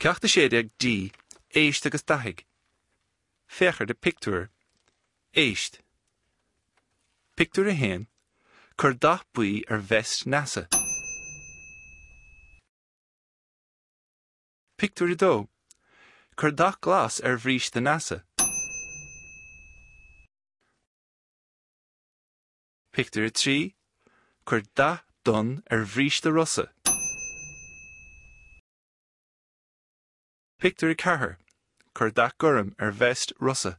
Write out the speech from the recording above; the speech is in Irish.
Ceacht 16 D, Éist agus Dathaigh. Féach ar na pictiúir. Éist. Pictiúr 1, Cuir dath buí ar veist Neasa. Pictiúr 2, Cuir dath glas ar bhríste Neasa. Pictiúr 3, Cuir dath donn ar bhríste Rosa. Pictiúr 4, Cuir dath gorm ar veist Rosa.